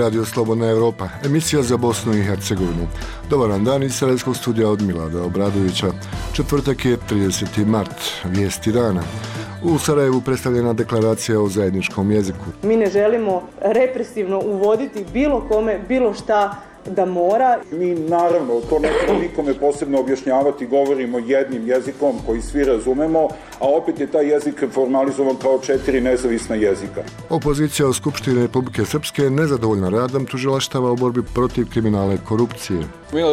Radio Slobodna Europa, emisija za Bosnu i Hercegovinu. Dobar vam dan iz Sarajevskog studija od Milada Obradovića. Četvrtak je 30. mart, vijesti dana. U Sarajevu predstavljena deklaracija o zajedničkom jeziku. Mi ne želimo represivno uvoditi bilo kome, bilo šta da mora. Mi naravno, to ne treba nikome posebno objašnjavati, govorimo jednim jezikom koji svi razumemo, a opet je taj jezik formalizovan kao 4 nezavisna jezika. Opozicija u Skupštini Republike Srpske je nezadovoljna radom tužilaštava u borbi protiv kriminala i korupcije.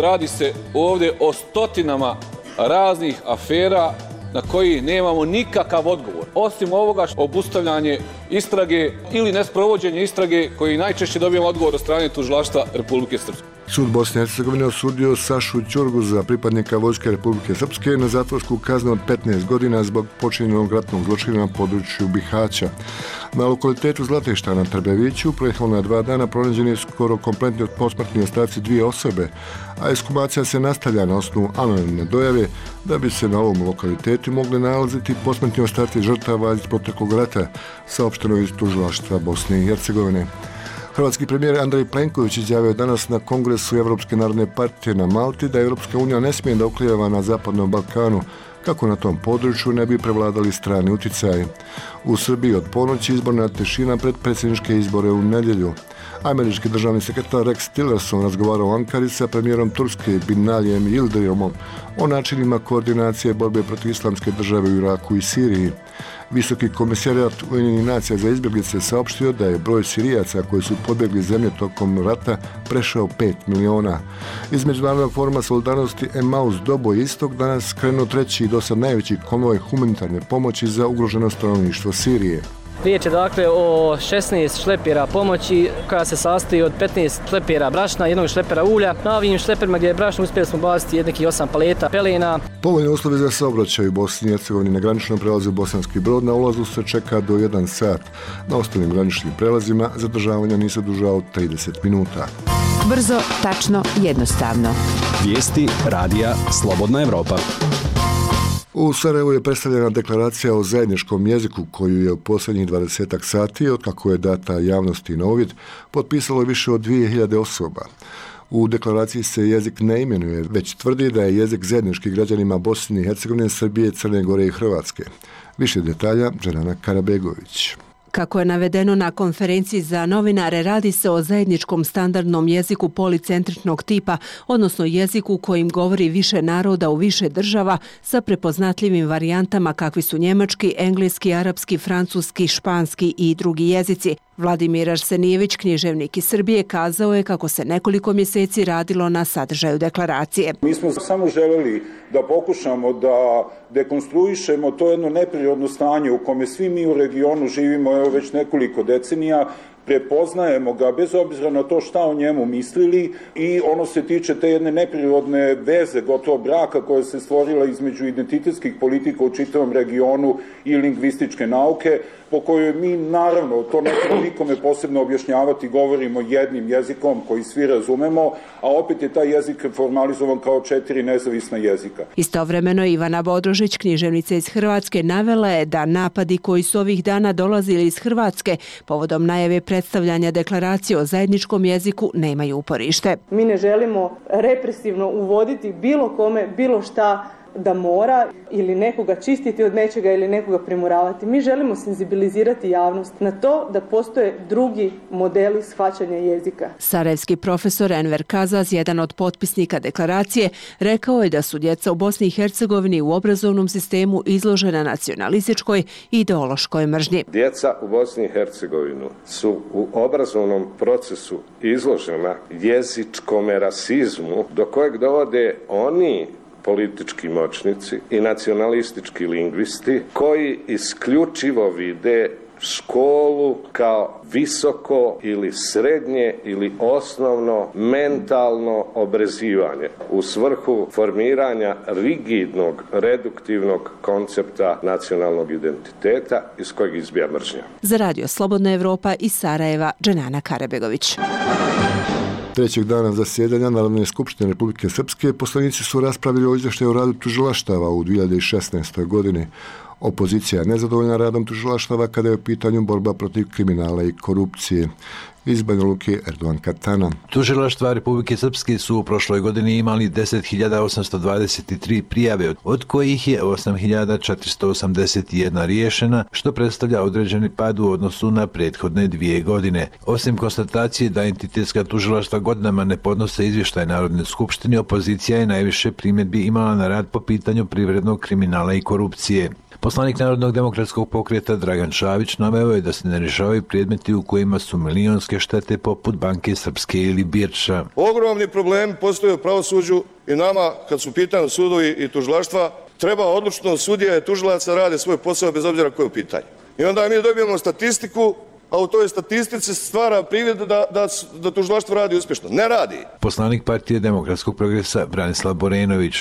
Radi se ovdje o stotinama raznih afera na koji nemamo nikakav odgovor. Osim ovoga obustavljanje istrage ili nesprovođenje istrage koji najčešće dobijemo odgovor od strane tužilaštva Republike Srpske. Sud Bosne i Hercegovine osudio Sašu Ćurgu za pripadnika Vojske Republike Srpske na zatvorsku kaznu od 15 godina zbog počinjenog ratnog zločina na području Bihaća. Na lokalitetu Zlatešta na Trbeviću prethodna 2 dana pronađeni je skoro kompletni posmrtni ostaci 2 osobe, a ekshumacija se nastavlja na osnovu anonimne dojave da bi se na ovom lokalitetu mogli nalaziti posmrtni ostaci žrtava iz proteklog rata, saopšteno iz tužilaštva Bosne i Hercegovine. Hrvatski premijer Andrej Plenković izjavio danas na Kongresu Evropske narodne partije na Malti da Europska unija ne smije da oklijeva na Zapadnom Balkanu, kako na tom području ne bi prevladali strani utjecaji. U Srbiji od ponoći izborna tišina pred predsjedničke izbore u nedjelju. Američki državni sekretar Rex Tillerson razgovarao u Ankari sa premijerom Turske Binalijem Yildirimom o načinima koordinacije borbe protiv islamske države u Iraku i Siriji. Visoki komisarijat Ujedinjenih nacija za izbjeglice saopštio da je broj Sirijaca koji su pobjegli zemlje tokom rata prešao 5 miliona. Iz Međunarodnog foruma solidarnosti Emmaus Doboj Istok danas krenuo treći i dosad najveći konvoj humanitarne pomoći za ugroženo stanovništvo Sirije. Riječ je dakle o 16 šlepera pomoći koja se sastoji od 15 šlepera brašna, 1 šlepera ulja. Na ovim šleperima gdje je brašno uspjeli smo baciti nekih 8 paleta pelena. Povoljne uslovi za saobraćaj u Bosni i Hercegovini na graničnom prelazu Bosanski Brod na ulazu se čeka do 1 sat. Na ostalim graničnim prelazima zadržavanja nisu duža od 30 minuta. Brzo, tačno, jednostavno. Vijesti radija Slobodna Europa. U Sarajevu je predstavljena deklaracija o zajedničkom jeziku koju je u posljednjih 20 sati, otkako je data javnosti na uvid, potpisalo više od 2000 osoba. U deklaraciji se jezik ne imenuje, već tvrdi da je jezik zajednički građanima Bosne i Hercegovine, Srbije, Crne Gore i Hrvatske. Više detalja Dženana Karabegović. Kako je navedeno na konferenciji za novinare, radi se o zajedničkom standardnom jeziku policentričnog tipa, odnosno jeziku kojim govori više naroda u više država sa prepoznatljivim varijantama kakvi su njemački, engleski, arapski, francuski, španski i drugi jezici. Vladimir Arsenijević, književnik iz Srbije, kazao je kako se nekoliko mjeseci radilo na sadržaju deklaracije. Mi smo samo željeli da pokušamo da dekonstruišemo to jedno neprirodno stanje u kome svi mi u regionu živimo već nekoliko decenija, prepoznajemo ga bez obzira na to šta o njemu mislili i ono se tiče te jedne neprirodne veze, gotovo braka koja se stvorila između identitetskih politika u čitavom regionu i lingvističke nauke, po kojoj mi naravno, to ne treba nikome posebno objašnjavati, govorimo jednim jezikom koji svi razumemo, a opet je taj jezik formalizovan kao 4 nezavisna jezika. Istovremeno Ivana Bodrožić, književnica iz Hrvatske, navela je da napadi koji su ovih dana dolazili iz Hrvatske povodom najave predstavljanja deklaracije o zajedničkom jeziku nemaju uporište. Mi ne želimo represivno uvoditi bilo kome, bilo šta da mora ili nekoga čistiti od nečega ili nekoga primoravati. Mi želimo senzibilizirati javnost na to da postoje drugi modeli shvaćanja jezika. Sarajevski profesor Enver Kazaz, jedan od potpisnika deklaracije, rekao je da su djeca u Bosni i Hercegovini u obrazovnom sistemu izložena nacionalističkoj i ideološkoj mržnji. Djeca u Bosni i Hercegovini su u obrazovnom procesu izložena jezičkom rasizmu do kojeg dovode oni politički moćnici i nacionalistički lingvisti koji isključivo vide školu kao visoko ili srednje ili osnovno mentalno obrazivanje u svrhu formiranja rigidnog, reduktivnog koncepta nacionalnog identiteta iz kojeg izbija mržnja. Za Radio Slobodna Europa iz Sarajeva, Dženana Karabegović. Trećeg dana zasjedanja Narodne skupštine Republike Srpske poslanici su raspravili o izvještaju o radu tužilaštava u 2016. godini. Opozicija je nezadovoljna radom tužilaštava kada je u pitanju borba protiv kriminala i korupcije. Iz Banja Luke, Erdogan Katana. Tužilaštva Republike Srpske su u prošloj godini imali 10.823 prijave, od kojih je 8.481 riješena, što predstavlja određeni pad u odnosu na prethodne 2 godine. Osim konstatacije da entitetska tužilaštva godinama ne podnose izvještaj Narodne skupštine, opozicija je najviše primjedbi imala na rad po pitanju privrednog kriminala i korupcije. Poslanik Narodnog demokratskog pokreta Dragan Šavić naveo je da se ne rješavaju predmeti u kojima su milionske štete poput Banke Srpske ili Birča. Ogromni problemi postoje u pravosuđu i nama, kad su pitani sudovi i tužilaštva, treba odlučno sudija i tužilaca rade svoj posao bez obzira koje je u pitanju. I onda mi dobijemo statistiku, a u toj statistici stvara privid da tužilaštvo radi uspješno. Ne radi. Poslanik Partije demokratskog progresa Branislav Borenović.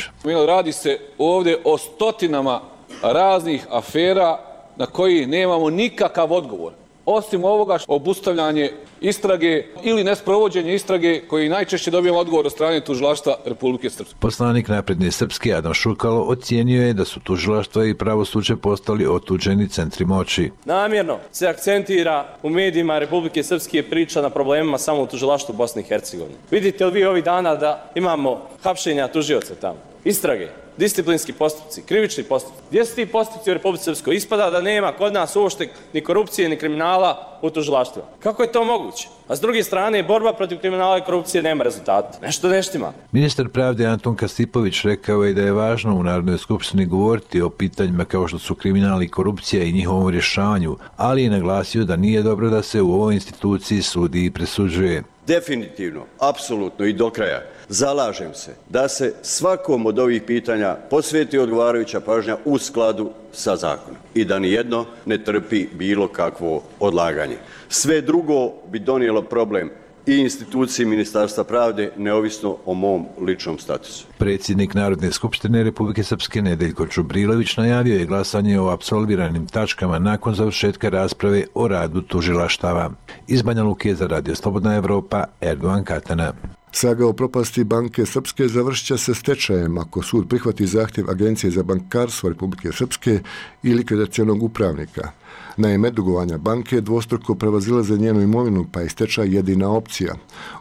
Radi se ovdje o stotinama raznih afera na koji nemamo nikakav odgovor. Osim ovoga obustavljanje istrage ili nesprovođenje istrage koji najčešće dobijemo odgovor od strane tužilaštva Republike Srpske. Poslanik Napredne Srpske Adam Šukalo ocijenio je da su tužilaštva i pravosuđe postali otuđeni centri moći. Namjerno se akcentira u medijima Republike Srpske priča na problemima samo u tužilaštvu Bosne i Hercegovine. Vidite li vi ovih dana da imamo hapšenja tužioca tamo, istrage, disciplinski postupci, krivični postupci? Gdje su ti postupci u Republici Srpskoj? Ispada da nema kod nas uopšte ni korupcije ni kriminala u tužilaštvu. Kako je to moguće? A s druge strane, borba protiv kriminala i korupcije nema rezultata. Nešto neštima. Ministar pravde Anton Kasipović rekao je da je važno u Narodnoj skupštini govoriti o pitanjima kao što su kriminal i korupcija i njihovom rješavanju, ali je naglasio da nije dobro da se u ovoj instituciji sudi i presuđuje. Definitivno, apsolutno i do kraja zalažem se da se svakom od ovih pitanja posveti odgovarajuća pažnja u skladu sa zakonom i da nijedno ne trpi bilo kakvo odlaganje. Sve drugo bi donijelo problem i instituciji Ministarstva pravde, neovisno o mom ličnom statusu. Predsjednik Narodne skupštine Republike Srpske Nedeljko Čubrilović najavio je glasanje o apsolviranim tačkama nakon završetka rasprave o radu tužilaštava. Iz Banja Luke za Radio Slobodna Evropa, Erdogan Katana. Saga o propasti Banke Srpske završit će se stečajem ako sud prihvati zahtjev Agencije za bankarstvo Republike Srpske i likvidacionog upravnika. Naime, dugovanja banke dvostruko prevazilaze njenu imovinu, pa je stečaj jedina opcija.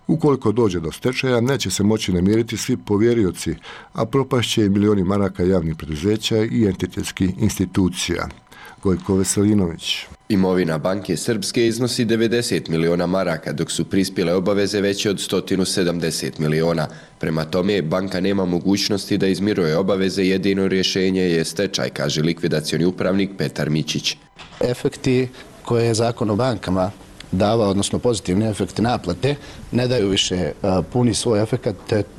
Ukoliko dođe do stečaja, neće se moći namiriti svi povjerioci, a propašće i milioni maraka javnih preduzeća i entitetskih institucija. Gojko Veselinović. Imovina Banke Srpske iznosi 90 miliona maraka, dok su prispjele obaveze veće od 170 miliona. Prema tome, banka nema mogućnosti da izmiruje obaveze, jedino rješenje je stečaj, kaže likvidacioni upravnik Petar Mićić. Efekti koje je zakon o bankama dava, odnosno pozitivni efekti naplate, ne daju više puni svoj efekat,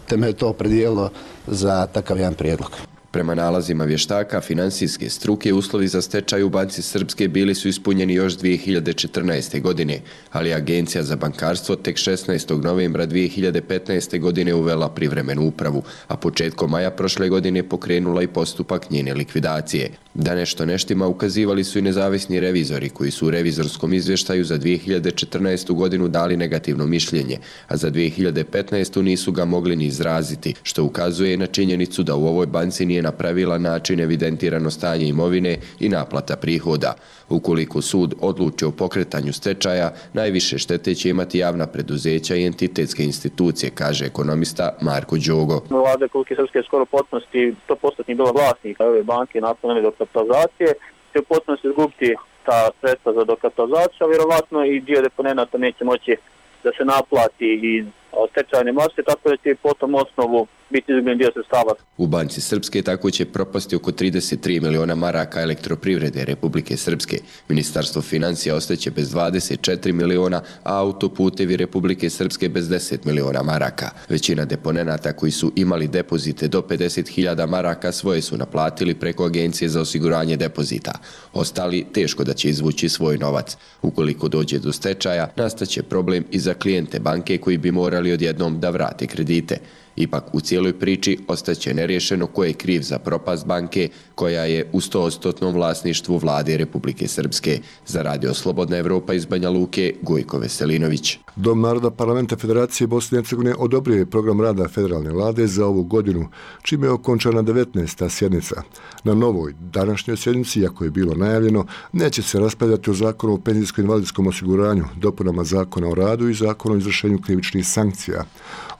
te me to opredijelo za takav jedan prijedlog. Prema nalazima vještaka finansijske struke, uslovi za stečaj u Banci Srpske bili su ispunjeni još 2014. godine, ali Agencija za bankarstvo tek 16. novembra 2015. godine uvela privremenu upravu, a početkom maja prošle godine pokrenula i postupak njene likvidacije. Da nešto neštima ukazivali su i nezavisni revizori koji su u revizorskom izvještaju za 2014. godinu dali negativno mišljenje, a za 2015. nisu ga mogli ni izraziti, što ukazuje na činjenicu da u ovoj banci nije na pravilan način evidentirano stanje imovine i naplata prihoda. Ukoliko sud odluči o pokretanju stečaja, najviše štete će imati javna preduzeća i entitetske institucije, kaže ekonomista Marko Đogo. Vlada Republike Srpske je skoro potpunosti 100% bila vlasnika ove banke nakon ove dokapitalizacije, će u potpunosti izgubiti ta sredstva za dokapitalizaciju, a vjerovatno i dio deponenata neće moći da se naplati iz stečajne mase, tako da će po tom osnovu biti izgubljen dio sredstava. U Banci Srpske tako će propasti oko 33 miliona maraka elektroprivrede Republike Srpske. Ministarstvo financija ostaće bez 24 miliona, a autoputevi Republike Srpske bez 10 miliona maraka. Većina deponenata koji su imali depozite do 50.000 maraka svoje su naplatili preko Agencije za osiguranje depozita. Ostali teško da će izvući svoj novac. Ukoliko dođe do stečaja, nastaće problem i za klijente banke koji bi morali odjednom da vrate kredite. Ipak u cijeloj priči ostaće neriješeno ko je kriv za propast banke koja je u 100% vlasništvu vlade Republike Srpske. Za Radio Slobodna Evropa iz Banja Luke, Gojko Veselinović. Dom naroda Parlamenta Federacije Bosne i Hercegovine odobrio je program rada federalne vlade za ovu godinu, čime je okončana 19. sjednica. Na novoj današnjoj sjednici, iako je bilo najavljeno, neće se raspravljati o zakonu o penzijsko-invalidskom osiguranju, dopunama zakona o radu i zakonu o izvršenju krivičnih sankcija.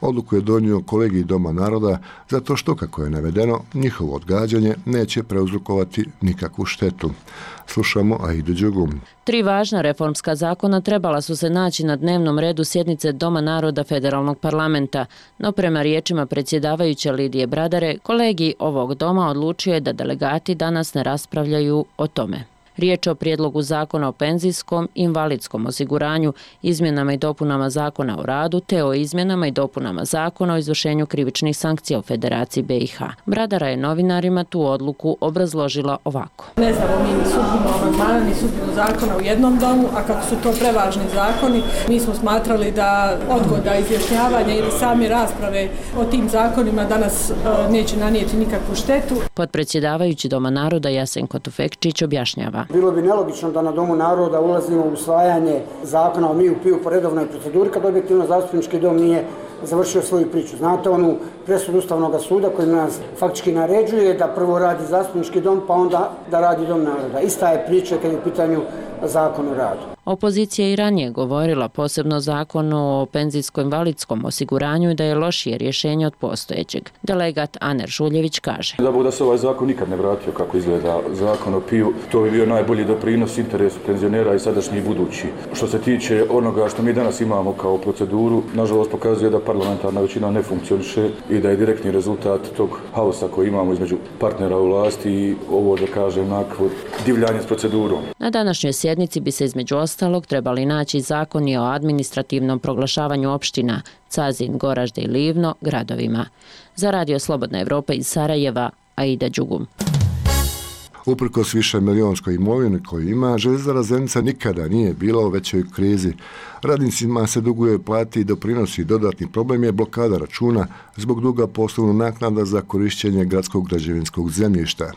Odluku je donio kolegij Doma naroda zato što, kako je navedeno, njihovo odgađanje neće prouzrokovati nikakvu štetu. Slušamo Aidu Đugum. 3 važna reformska zakona trebala su se naći na dnevnom redu sjednice Doma naroda Federalnog parlamenta, no prema riječima predsjedavajuće Lidije Bradare, kolegij ovog doma odlučio je da delegati danas ne raspravljaju o tome. Riječ je o prijedlogu zakona o penzijskom i invalidskom osiguranju, izmjenama i dopunama zakona o radu te o izmjenama i dopunama zakona o izvršenju krivičnih sankcija u Federaciji BiH. Bradara je novinarima tu odluku obrazložila ovako. Ne znamo mi ni sudbinu amandmana, ni sudbinu zakona u jednom domu, a kako su to prevažni zakoni, mi smo smatrali da odgoda izjašnjavanja ili same rasprave o tim zakonima danas neće nanijeti nikakvu štetu. Potpredsjedavajući Doma naroda Jasenko Tufekčić objašnjava. Bilo bi nelogično da na Domu naroda ulazimo u usvajanje zakona o MIU-PIU po redovnoj proceduri kad objektivno zastupnički dom nije završio svoju priču. Znate onu presudu Ustavnog suda koji nas faktički naređuje da prvo radi zastupnički dom pa onda da radi Dom naroda. Ista je priča kad je u pitanju zakon o radu. Opozicija i ranije govorila posebno zakonu o penzijsko-invalidskom osiguranju i da je lošije rješenje od postojećeg. Delegat Aner Žuljević kaže. Da se ovaj zakon nikad ne vratio kako izgleda zakon o PIU, to bi bio najbolji doprinos interesu penzionera i sadašnji i budući. Što se tiče onoga što mi danas imamo kao proceduru, nažalost pokazuje da parlamentarna većina ne funkcioniše i da je direktni rezultat tog haosa koji imamo između partnera u vlasti i ovo, da kažem, nakon divljanje s procedurom. Na današnjoj sjednici bi se između ostalog trebali naći zakoni o administrativnom proglašavanju opština Cazin, Goražde i Livno gradovima. Za Radio Slobodna Evropa iz Sarajeva, Aida Đugum. Uprkos više milionskoj imovini koju ima, Željezara Zenica nikada nije bila u većoj krizi. Radnicima se duguje plati i doprinosi. Dodatni problem je blokada računa zbog duga poslovnog naknada za korišćenje gradskog građevinskog zemljišta.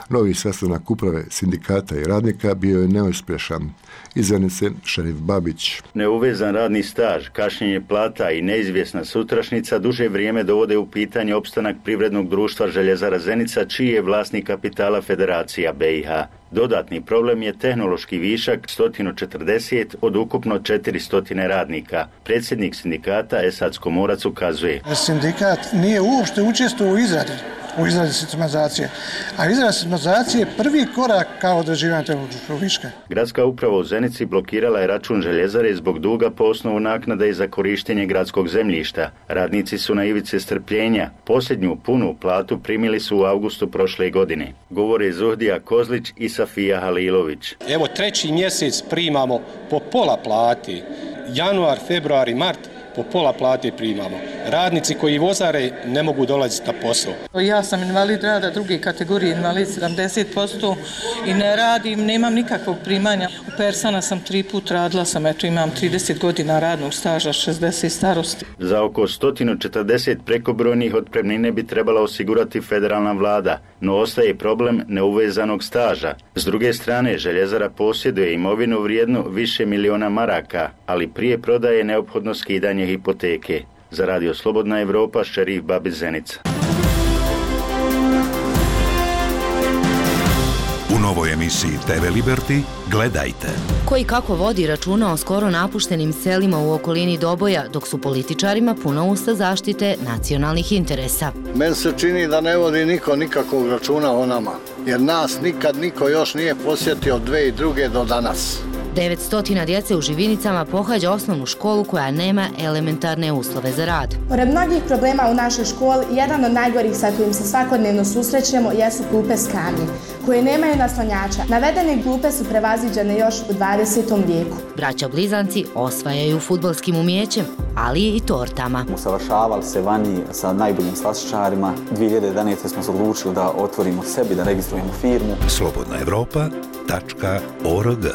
Novi sastanak uprave sindikata i radnika bio je neuspješan. Iz Zenice Šerif Babić. Neuvezan radni staž, kašnjenje plata i neizvjesna sutrašnica duže vrijeme dovode u pitanje opstanak privrednog društva Željezara Zenica, čiji je vlasnik kapitala Federacija BiH. Dodatni problem je tehnološki višak 140 od ukupno 400 radnika. Predsjednik sindikata Esad Skomorac ukazuje. Sindikat nije uopšte učestvovao u izradi sistematizacije, a izrada sistematizacije je prvi korak kao određivanje tehnološkog viška. Gradska uprava u Zenici blokirala je račun željezare zbog duga po osnovu naknade za korištenje gradskog zemljišta. Radnici su na ivici strpljenja. Posljednju punu platu primili su u avgustu prošle godine. Govore Zuhdija Kozlić i Safija Halilović. Evo 3. mjesec primamo po pola plati. Januar, februar i mart po pola plate primamo. Radnici koji vozare ne mogu dolaziti na posao. Ja sam invalid rada druge kategorije, invalid 70% i ne radim, nemam nikakvog primanja. U Persana sam 3 put radila sam, imam 30 godina radnog staža, 60 starosti. Za oko 140 prekobrojnih otpremnine bi trebala osigurati federalna vlada, no ostaje problem neuvezanog staža. S druge strane, Željezara posjeduje imovinu vrijednu više miliona maraka, ali prije prodaje je neophodno skidanje hipoteke. Za Radio Slobodna Evropa, Šerif Babić, Zenica. U novoj emisiji TV Liberty gledajte. Koji kako vodi računa o skoro napuštenim selima u okolini Doboja, dok su političarima puna usta zaštite nacionalnih interesa. Meni se čini da ne vodi niko nikakvog računa o nama, jer nas nikad niko još nije posjetio od 2002. do danas. 900 djece u Živinicama pohađa osnovnu školu koja nema elementarne uslove za rad. Pored mnogih problema u našoj školi, jedan od najgorih sa kojim se svakodnevno susrećemo jesu klupe s kamnjem, koje nemaju naslonjača. Navedene klupe su prevaziđene još u 20. vijeku. Braća Blizanci osvajaju fudbalskim umijećem, ali i tortama. Usavršavali se vani sa najboljim slastičarima. 2011. smo se odlučili da otvorimo sebi, da registrujemo firmu. slobodnaevropa.org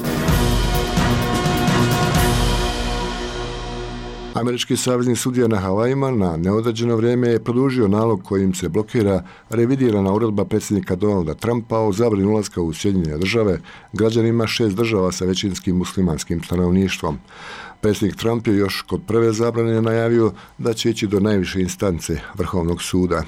Američki savezni sudija na Havajima na neodređeno vrijeme je produžio nalog kojim se blokira revidirana uredba predsjednika Donalda Trumpa o zabrani ulaska u Sjedinjene države građanima 6 država sa većinskim muslimanskim stanovništvom. Predsjednik Trump je još kod prve zabrane najavio da će ići do najviše instance Vrhovnog suda.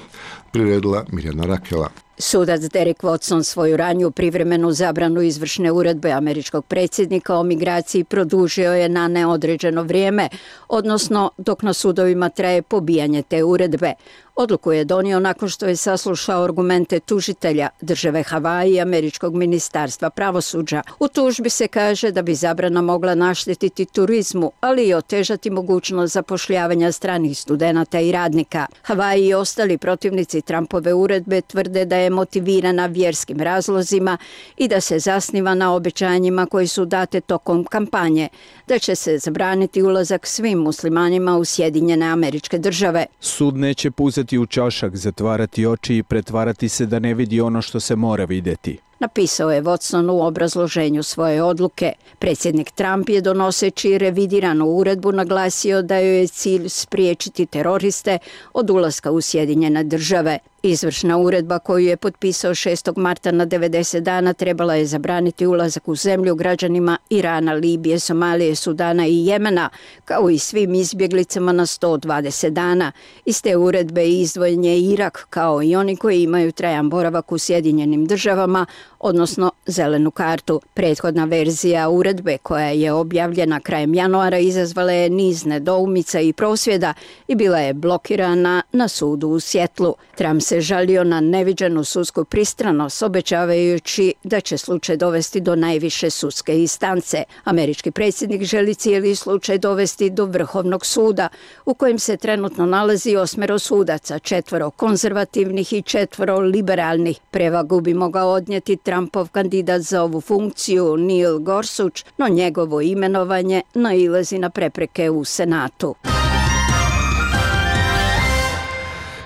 Priredila Mirjana Rakela. Sudac Derek Watson svoju raniju privremenu zabranu izvršne uredbe američkog predsjednika o migraciji produžio je na neodređeno vrijeme, odnosno dok na sudovima traje pobijanje te uredbe. Odluku je donio nakon što je saslušao argumente tužitelja države Havaji i američkog ministarstva pravosuđa. U tužbi se kaže da bi zabrana mogla naštetiti turizmu, ali i otežati mogućnost zapošljavanja stranih studenata i radnika. Havaji i ostali protivnici Trumpove uredbe tvrde da je motivirana vjerskim razlozima i da se zasniva na obećanjima koji su date tokom kampanje, da će se zabraniti ulazak svim muslimanima u Sjedinjene Američke Države. Sud neće puzeti u čašak, zatvarati oči i pretvarati se da ne vidi ono što se mora vidjeti. Napisao je Watson u obrazloženju svoje odluke. Predsjednik Trump je donoseći revidiranu uredbu naglasio da joj je cilj spriječiti teroriste od ulaska u Sjedinjene države. Izvršna uredba koju je potpisao 6. marta na 90 dana trebala je zabraniti ulazak u zemlju građanima Irana, Libije, Somalije, Sudana i Jemena, kao i svim izbjeglicama na 120 dana. Iz te uredbe izdvojen je Irak, kao i oni koji imaju trajan boravak u Sjedinjenim državama, odnosno zelenu kartu. Prethodna verzija uredbe koja je objavljena krajem januara izazvala je niz nedoumica i prosvjeda i bila je blokirana na sudu u Sjetlu. Trump se žalio na neviđenu sudsku pristranost, obećavajući da će slučaj dovesti do najviše sudske instance. Američki predsjednik želi cijeli slučaj dovesti do Vrhovnog suda, u kojem se trenutno nalazi 8 sudaca, 4 konzervativnih i 4 liberalnih. Prevagu bi mogao odnijeti Trumpov kandidat za ovu funkciju Neil Gorsuch, no njegovo imenovanje nailazi na prepreke u Senatu.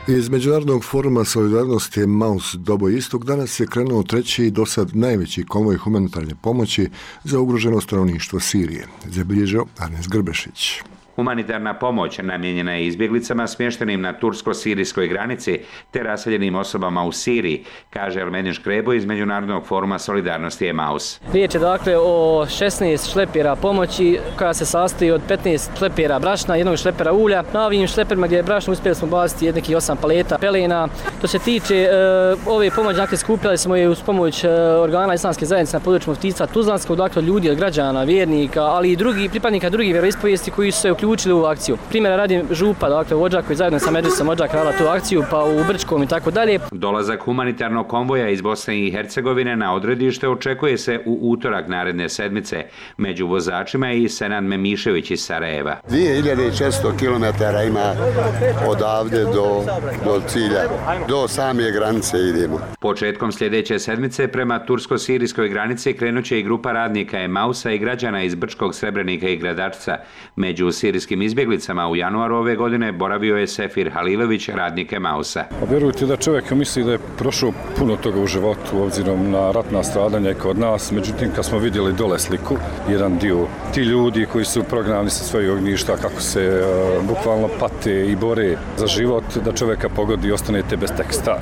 Iz Međunarodnog foruma solidarnosti Maus Dobo Istok danas je krenuo treći i dosad najveći konvoj humanitarne pomoći za ugroženo stanovništvo Sirije, zabilježio Arnes Grbešić. Humanitarna pomoć namijenjena je izbjeglicama smještenim na tursko-sirijskoj granici te raseljenim osobama u Siriji, kaže Ermedin Škrebo iz Međunarodnog foruma solidarnosti Emaus. Riječ je dakle o 16 šlepera pomoći koja se sastoji od 15 šlepera brašna, jednog šlepera ulja. Na ovim šleperima gdje je brašno uspjeli smo baciti nekih 8 paleta pelena. To se tiče ove pomoći, dakle skupljali smo je uz pomoć organa islamske zajednice na području muftijstva Tuzlanskog, dakle ljudi od građana, vjernika, ali i pripadnika drugih vjeroispovijesti koji su se uključili u akciju. Primjera radi župa, dakle vođa koji zajedno sa Medžlisom vođa krala tu akciju, pa u Brčkom i tako dalje. Dolazak humanitarnog konvoja iz Bosne i Hercegovine na odredište očekuje se u utorak naredne sedmice. Među vozačima je i Senad Memišević iz Sarajeva. 2600 km ima odavde do cilja, do same granice idemo. Početkom sljedeće sedmice prema tursko-sirijskoj granici krenut će i grupa radnika Emausa i građana iz Brčkog, Srebrenika i Gradačca. Među sirijskim izbjeglicama u januaru ove godine boravio je Sefir Halilović, radnik Emausa. Vjerujte da čovjek misli da je prošao puno toga u životu obzirom na ratna stradanja kod nas, međutim kad smo vidjeli dole sliku, jedan dio ti ljudi koji su prognani sa svojih ognjišta, kako se bukvalno pate i bore za život, da čovjeka pogodi i ostanete bez teksta.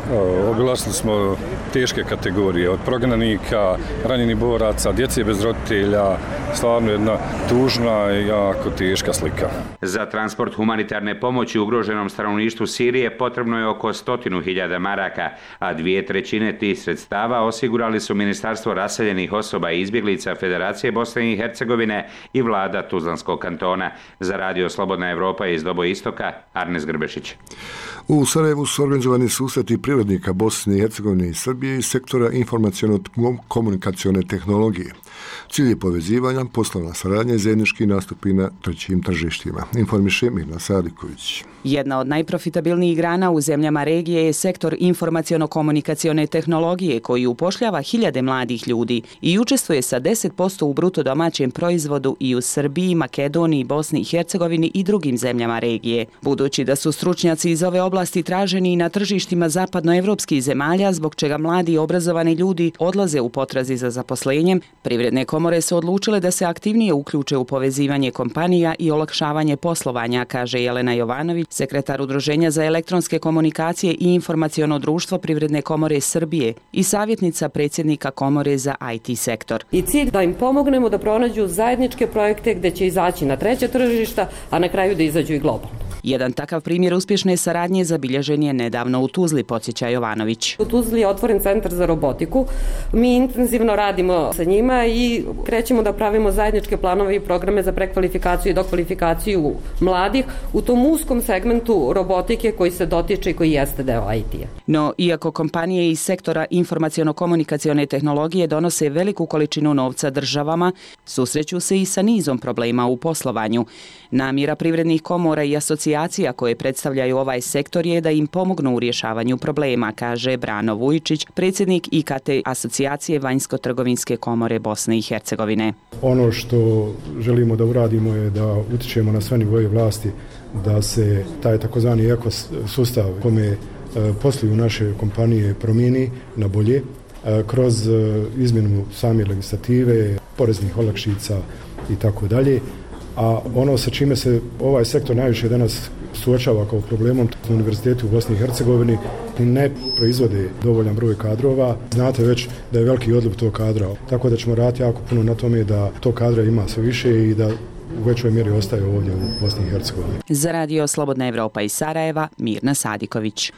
Obilazili smo teške kategorije, od prognanika, ranjenih boraca, djece bez roditelja, stvarno jedna tužna i jako teška slika. Za transport humanitarne pomoći ugroženom stanovništvu Sirije potrebno je oko 100.000 maraka, a 2/3 tih sredstava osigurali su Ministarstvo raseljenih osoba i izbjeglica Federacije Bosne i Hercegovine i vlada Tuzlanskog kantona. Za Radio Slobodna Evropa iz Dobo Istoka, Arnes Grbešić. U Sarajevu su organizovani susreti privrednika Bosne i Hercegovine i Srbije iz sektora informaciono-komunikacione tehnologije. Cilj je povezivanja, poslovna saradnja i zajednički nastupi na trećim tržištima. Informiše Mirna Sadiković. Jedna od najprofitabilnijih grana u zemljama regije je sektor informaciono-komunikacione tehnologije koji upošljava hiljade mladih ljudi i učestvuje sa 10% u bruto domaćem proizvodu i u Srbiji, Makedoniji, Bosni i Hercegovini i drugim zemljama regije. Budući da su stručnjaci iz ove oblasti traženi i na tržištima zapadnoevropskih zemalja, zbog čega mladi i obrazovani ljudi odlaze u potrazi za zaposlenjem, privredne kompanije komore su odlučile da se aktivnije uključe u povezivanje kompanija i olakšavanje poslovanja, kaže Jelena Jovanović, sekretar Udruženja za elektronske komunikacije i informaciono društvo Privredne komore Srbije i savjetnica predsjednika komore za IT sektor. I cilj da im pomognemo da pronađu zajedničke projekte gdje će izaći na treća tržišta, a na kraju da izađu i globalno. Jedan takav primjer uspješne saradnje zabilježen je nedavno u Tuzli, podsjeća Jovanović. U Tuzli je otvoren centar za robotiku. Mi intenzivno radimo sa njima i krećemo da pravimo zajedničke planove i programe za prekvalifikaciju i dokvalifikaciju mladih u tom uskom segmentu robotike koji se dotiče i koji jeste deo IT-a. No, iako kompanije iz sektora informaciono-komunikacione tehnologije donose veliku količinu novca državama, susreću se i sa nizom problema u poslovanju. Namjera privrednih komora i asocijacija koje predstavljaju ovaj sektor je da im pomognu u rješavanju problema, kaže Brano Vujčić, predsjednik IKT asocijacije Vanjsko-trgovinske komore Bosne i Hercegovine. Ono što želimo da uradimo je da utičemo na sve nivoje vlasti da se taj takozvani ekosustav kome posluju naše kompanije promijeni na bolje kroz izmjenu same legislative, poreznih olakšica i tako dalje. A ono sa čime se ovaj sektor najviše danas suočava kao problemom, univerziteti u Bosni i Hercegovini ne proizvode dovoljan broj kadrova. Znate već da je veliki odliv tog kadra, tako da ćemo raditi jako puno na tome da tog kadra ima sve više i da u većoj mjeri ostaje ovdje u Bosni i Hercegovini. Za radio Slobodna Evropa iz Sarajeva, Mirna Sadiković.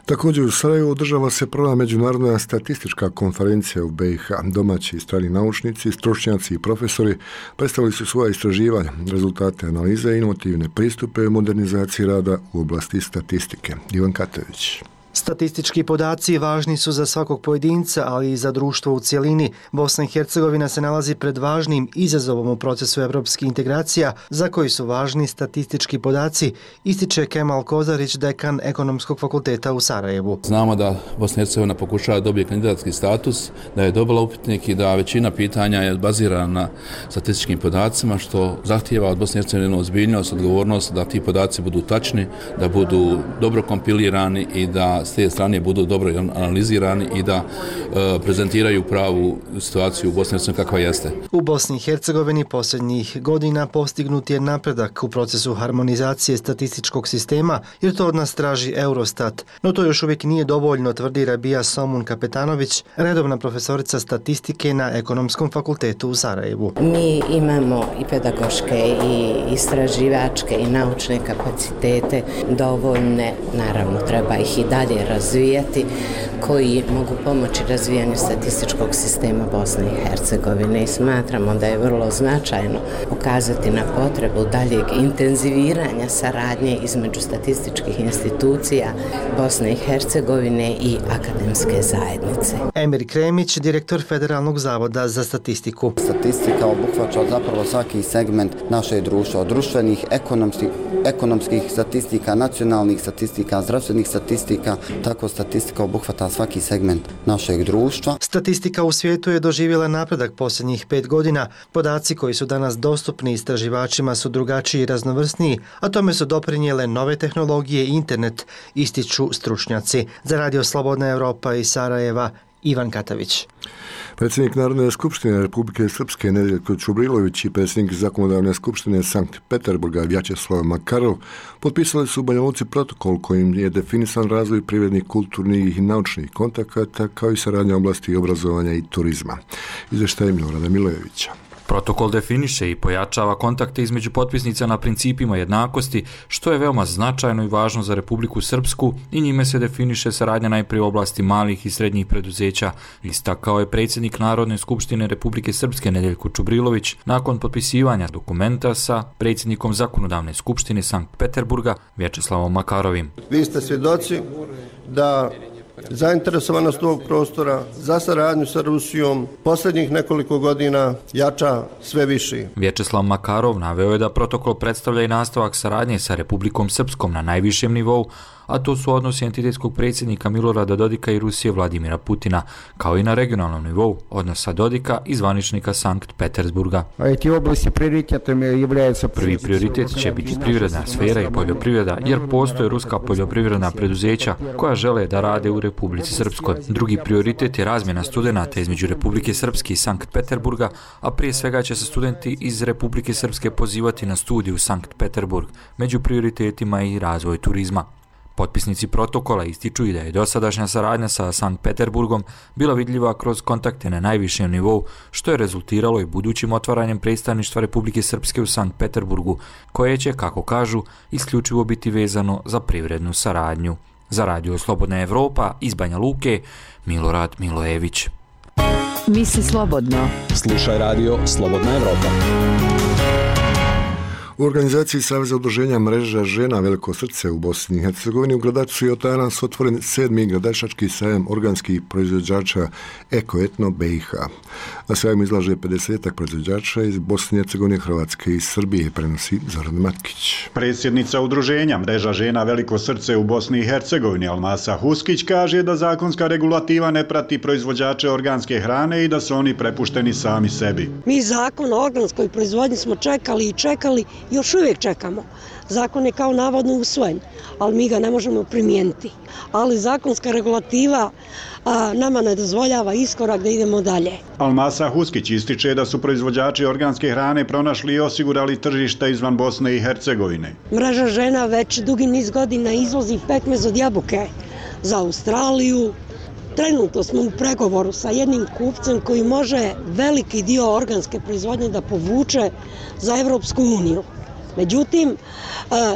Također u Sarajevu održava se prva međunarodna statistička konferencija u BiH. Domaći i strani naučnici, stručnjaci i profesori predstavili su svoja istraživanja, rezultate analize i inovativne pristupe u modernizaciji rada u oblasti statistike. Ivan Katović. Statistički podaci važni su za svakog pojedinca, ali i za društvo u cjelini. Bosna i Hercegovina se nalazi pred važnim izazovom u procesu evropskih integracija, za koji su važni statistički podaci, ističe Kemal Kozarić, dekan Ekonomskog fakulteta u Sarajevu. Znamo da Bosna i Hercegovina pokušava dobiti kandidatski status, da je dobila upitnik i da većina pitanja je bazirana na statističkim podacima, što zahtijeva od Bosne i Hercegovine ozbiljnost, odgovornost da ti podaci budu tačni, da budu dobro kompilirani i da s te strane budu dobro analizirani i da prezentiraju pravu situaciju u Bosni i Hercegovini kakva jeste. U Bosni i Hercegovini posljednjih godina postignut je napredak u procesu harmonizacije statističkog sistema, jer to od nas traži Eurostat. No to još uvijek nije dovoljno, tvrdi Rabija Somun Kapetanović, redovna profesorica statistike na Ekonomskom fakultetu u Sarajevu. Mi imamo i pedagoške i istraživačke i naučne kapacitete dovoljne, naravno treba ih i dalje razvijati, koji mogu pomoći razvijanju statističkog sistema Bosne i Hercegovine i smatramo da je vrlo značajno pokazati na potrebu daljeg intenziviranja saradnje između statističkih institucija Bosne i Hercegovine i akademske zajednice. Emir Kremić, direktor Federalnog zavoda za statistiku. Statistika obuhvaća zapravo svaki segment našeg društva, od društvenih, ekonomskih statistika, nacionalnih statistika, zdravstvenih statistika, tako statistika obuhvata svaki segment našeg društva. Statistika u svijetu je doživjela napredak posljednjih 5 godina. Podaci koji su danas dostupni istraživačima su drugačiji i raznovrsniji, a tome su doprinijele nove tehnologije i internet, ističu stručnjaci. Za radio Slobodna Evropa iz Sarajeva, Ivan Katavić. Predsjednik Narodne skupštine Republike Srpske Nedeljko Čubrilović i predsjednik Zakonodavne skupštine Sankt Peterburga Vjačeslav Makarov potpisali su u Banja Luci protokol kojim je definisan razvoj privrednih, kulturnih i naučnih kontakata kao i saradnja u oblasti obrazovanja i turizma. Izvještaj Milorada Milojevića. Protokol definiše i pojačava kontakte između potpisnica na principima jednakosti, što je veoma značajno i važno za Republiku Srpsku i njime se definiše saradnja najprije u oblasti malih i srednjih preduzeća, istakao je predsjednik Narodne skupštine Republike Srpske Nedeljko Čubrilović nakon potpisivanja dokumenta sa predsjednikom Zakonodavne skupštine Sankt Peterburga Vjačeslavom Makarovim. Vi ste svjedoci da zainteresovanost ovog prostora za saradnju sa Rusijom posljednjih nekoliko godina jača sve više. Vjačeslav Makarov naveo je da protokol predstavlja i nastavak saradnje sa Republikom Srpskom na najvišem nivou, a to su odnosi entitetskog predsjednika Milorada Dodika i Rusije Vladimira Putina, kao i na regionalnom nivou odnosa Dodika i zvaničnika Sankt Petersburga. Prvi prioritet će biti privredna sfera i poljoprivreda, jer postoje ruska poljoprivredna preduzeća koja žele da rade u Republici Srpskoj. Drugi prioritet je razmjena studenata između Republike Srpske i Sankt Peterburga, a prije svega će se studenti iz Republike Srpske pozivati na studiju u Sankt Peterburg, među prioritetima i razvoj turizma. Potpisnici protokola ističu i da je dosadašnja saradnja sa Sankt Peterburgom bila vidljiva kroz kontakte na najvišem nivou, što je rezultiralo i budućim otvaranjem predstavništva Republike Srpske u Sankt Peterburgu, koje će, kako kažu, isključivo biti vezano za privrednu saradnju. Za Radio Slobodna Evropa iz Banja Luke, Milorad Milojević. Misli slobodno. Slušaj Radio Slobodna Evropa. U organizaciji Saveza udruženja mreža žena Veliko srce u Bosni i Hercegovini u Gradačcu je danas otvoren 7. gradačački sajam organskih proizvođača Eko-Etno BiH. Na sajmu izlaže 50 proizvođača iz Bosne i Hercegovine, Hrvatske i Srbije, prenosi Zoran Matkić. Predsjednica udruženja mreža žena Veliko srce u Bosni i Hercegovini Almasa Huskić kaže da zakonska regulativa ne prati proizvođače organske hrane i da su oni prepušteni sami sebi. Mi zakon o organskoj proizvodnji smo čekali i čekali, još uvijek čekamo. Zakon je kao navodno usvojen, ali mi ga ne možemo primijeniti. Ali zakonska regulativa nama ne dozvoljava iskorak da idemo dalje. Almasa Huskić ističe da su proizvođači organske hrane pronašli i osigurali tržišta izvan Bosne i Hercegovine. Mreža žena već dugi niz godina izvozi pekmez od jabuke za Australiju. Trenutno smo u pregovoru sa jednim kupcem koji može veliki dio organske proizvodnje da povuče za Evropsku uniju. Međutim,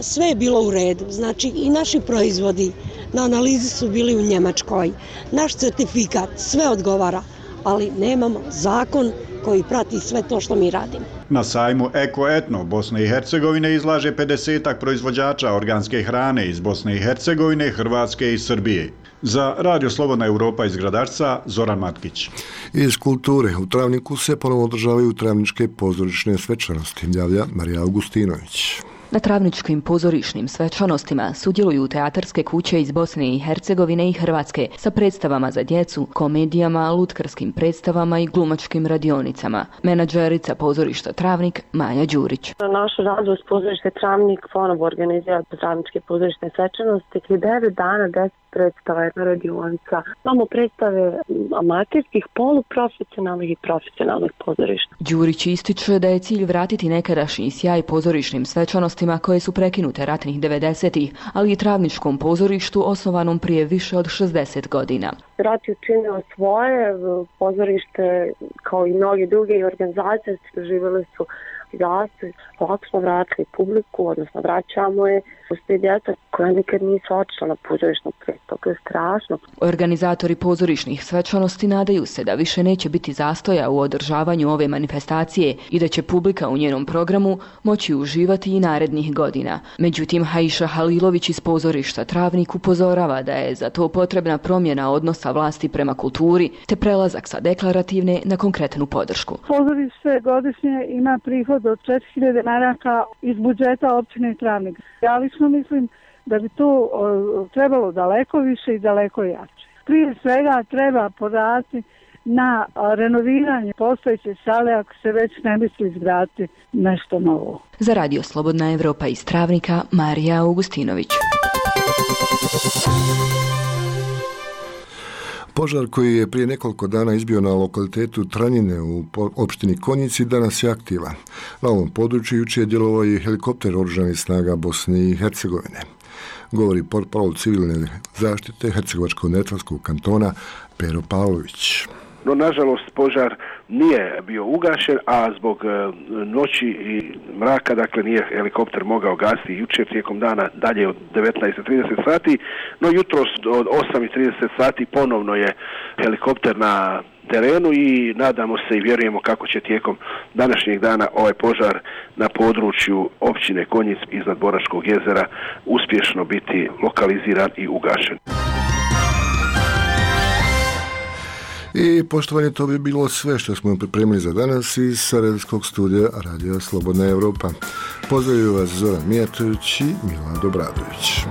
sve je bilo u redu. Znači i naši proizvodi na analizi su bili u Njemačkoj. Naš certifikat sve odgovara, ali nemamo zakon koji prati sve to što mi radimo. Na sajmu Eko-Etno Bosne i Hercegovine izlaže 50 proizvođača organske hrane iz Bosne i Hercegovine, Hrvatske i Srbije. Za Radio Slobodna Evropa iz Gradačca, Zoran Matkić. Iz kulture u Travniku se ponovno održavaju travničke pozorišne svečanosti, javlja Marija Augustinović. Na travničkim pozorišnim svečanostima sudjeluju teatarske kuće iz Bosne i Hercegovine i Hrvatske sa predstavama za djecu, komedijama, lutkarskim predstavama i glumačkim radionicama. Menadžerica pozorišta Travnik Maja Đurić. Naš radost pozorište Travnik ponovo organizira travničke pozorišne svečanosti. 9 dana, 10 predstava, jedna radionica. Imamo predstave amaterskih, poluprofesionalnih i profesionalnih pozorišta. Đurić ističe da je cilj vratiti nekadašnji sjaj pozorišnim svečanostima koje su prekinute ratnih 90-ih, ali i travničkom pozorištu osnovanom prije više od 60 godina. Rat je učinio svoje, pozorište kao i mnoge druge organizacije doživjele su zastoj. Ovako smo vratili publiku, odnosno vraćamo je. Postoji djeca koja nikad nisu otišla na pozorišnu predstavu, to je strašno. Organizatori pozorišnih svečanosti nadaju se da više neće biti zastoja u održavanju ove manifestacije i da će publika u njenom programu moći uživati i narednih godina. Međutim, Haiša Halilović iz pozorišta Travnik upozorava da je za to potrebna promjena odnosa vlasti prema kulturi te prelazak sa deklarativne na konkretnu podršku. Pozorište godišnje ima prihod od 4000 maraka iz budžeta općine Travnik. Ja lično mislim da bi to trebalo daleko više i daleko jače. Prije svega treba poraditi na renoviranje postojeće sale ako se već ne misli izgraditi nešto novo. Za Radio Slobodna Evropa iz Travnika, Marija Augustinović. Požar koji je prije nekoliko dana izbio na lokalitetu Tranjine u opštini Konjici danas je aktivan. Na ovom području jučer je djelovao i helikopter oružanih snaga Bosne i Hercegovine. Govori portparol civilne zaštite Hercegovačko-neretvanskog kantona Pero Pavlović. No, nažalost, požar nije bio ugašen, a zbog noći i mraka, dakle, nije helikopter mogao gasiti jučer tijekom dana dalje od 19:30 sati, no jutros od 8:30 sati ponovno je helikopter na terenu i nadamo se i vjerujemo kako će tijekom današnjeg dana ovaj požar na području općine Konjic iznad Boračkog jezera uspješno biti lokaliziran i ugašen. I poštovanje, to bi bilo sve što smo pripremili za danas iz Sarajevskog studija Radio Slobodna Evropa. Pozdravljaju vas Zoran Mijatović i Milan Dobradović.